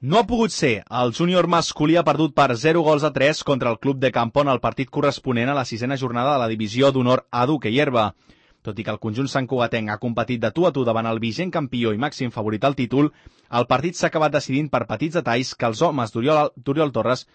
No ha pogut ser. El júnior masculí ha perdut per 0-3 contra el Club de Campon al partit corresponent a la 6a jornada de la divisió d'honor A Duque i Herba. Tot i que el conjunt santcugatenc ha competit de tu a tu davant el vigent campió i màxim favorit al títol, el partit s'ha acabat decidint per petits detalls que els homes d'Oriol Torres...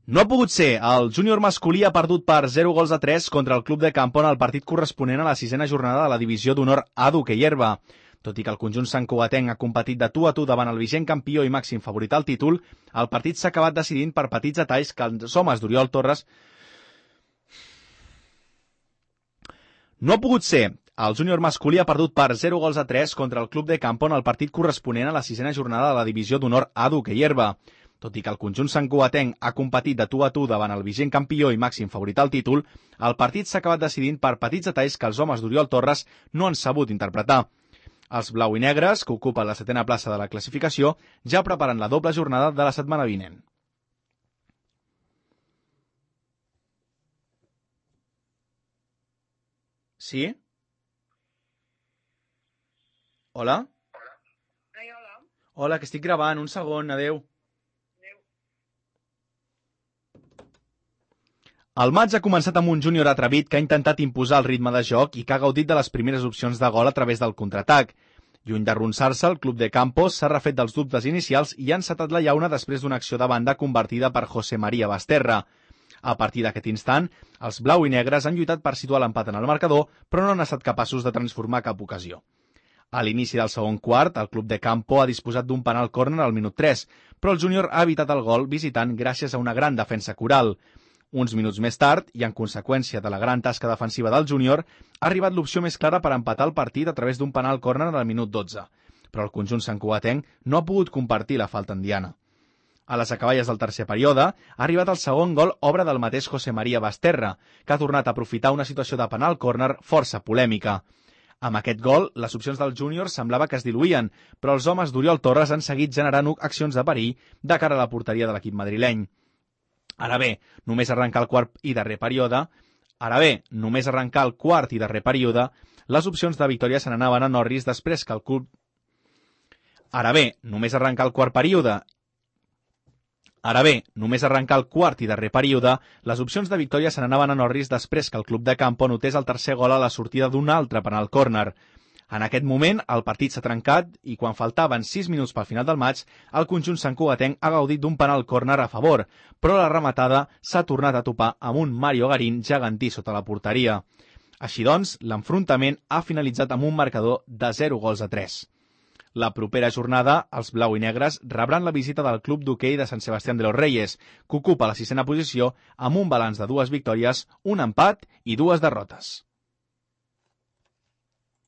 No ha pogut ser. El júnior masculí ha perdut per 0-3 contra el Club de Campon al partit corresponent a la 6a jornada de la divisió d'honor A Duque i Herba. Tot i que el conjunt santcugatenc ha competit de tu a tu davant el vigent campió i màxim favorit al títol, el partit s'ha acabat decidint per petits detalls que els homes d'Oriol Torres... No ha pogut ser. El júnior masculí ha perdut per 0-3 contra el Club de Campon al partit corresponent a la 6a jornada de la divisió d'honor A Duque i Herba. Tot i que el conjunt santcugatenc ha competit de tu a tu davant el vigent campió i màxim favorit al títol, el partit s'ha acabat decidint per petits detalls que els homes d'Oriol Torres no han sabut interpretar. Els blau i negres, que ocupen la 7a plaça de la classificació, ja preparen la doble jornada de la setmana vinent. Sí? Hola? Ai, hola. Hola, que estic gravant. Un segon, adeu. El maig ha començat amb un júnior atrevit que ha intentat imposar el ritme de joc i que ha gaudit de les primeres opcions de gol a través del contraatac. Lluny d'arronsar-se, el club de Campos s'ha refet dels dubtes inicials i ha encetat la llauna després d'una acció de banda convertida per José María Basterra. A partir d'aquest instant, els blau i negres han lluitat per situar l'empat en el marcador, però no han estat capaços de transformar cap ocasió. A l'inici del segon quart, el club de Campo ha disposat d'un penal córner al minut 3, però el júnior ha evitat el gol visitant gràcies a una gran defensa coral. Uns minuts més tard, i en conseqüència de la gran tasca defensiva del júnior, ha arribat l'opció més clara per empatar el partit a través d'un penal córner al minut 12, però el conjunt santcugatenc no ha pogut compartir la falta en diana. A les acaballes del tercer període, ha arribat el segon gol obra del mateix José María Basterra, que ha tornat a aprofitar una situació de penal córner força polèmica. Amb aquest gol, les opcions del júnior semblava que es diluïen, però els homes d'Oriol Torres han seguit generant accions de perill de cara a la porteria de l'equip madrileny. Ara bé, només arrencar el quart i darrer període, les opcions de victòria se n'anaven a Norris després que el club... Ara bé, només arrencar el quart i darrer període, les opcions de victòria se n'anaven a Norris després que el club de Campo notés el tercer gol a la sortida d'un altre penal córner. En aquest moment, el partit s'ha trencat i quan faltaven 6 minuts pel final del maig, el conjunt santcugatenc ha gaudit d'un penal córner a favor, però la rematada s'ha tornat a topar amb un Mario Garín gegantí sota la porteria. Així doncs, l'enfrontament ha finalitzat amb un marcador de 0-3. La propera jornada, els blau i negres rebran la visita del club d'hoquei de Sant Sebastián de los Reyes, que ocupa la 6a posició amb un balanç de 2 victòries, un empat i 2 derrotes.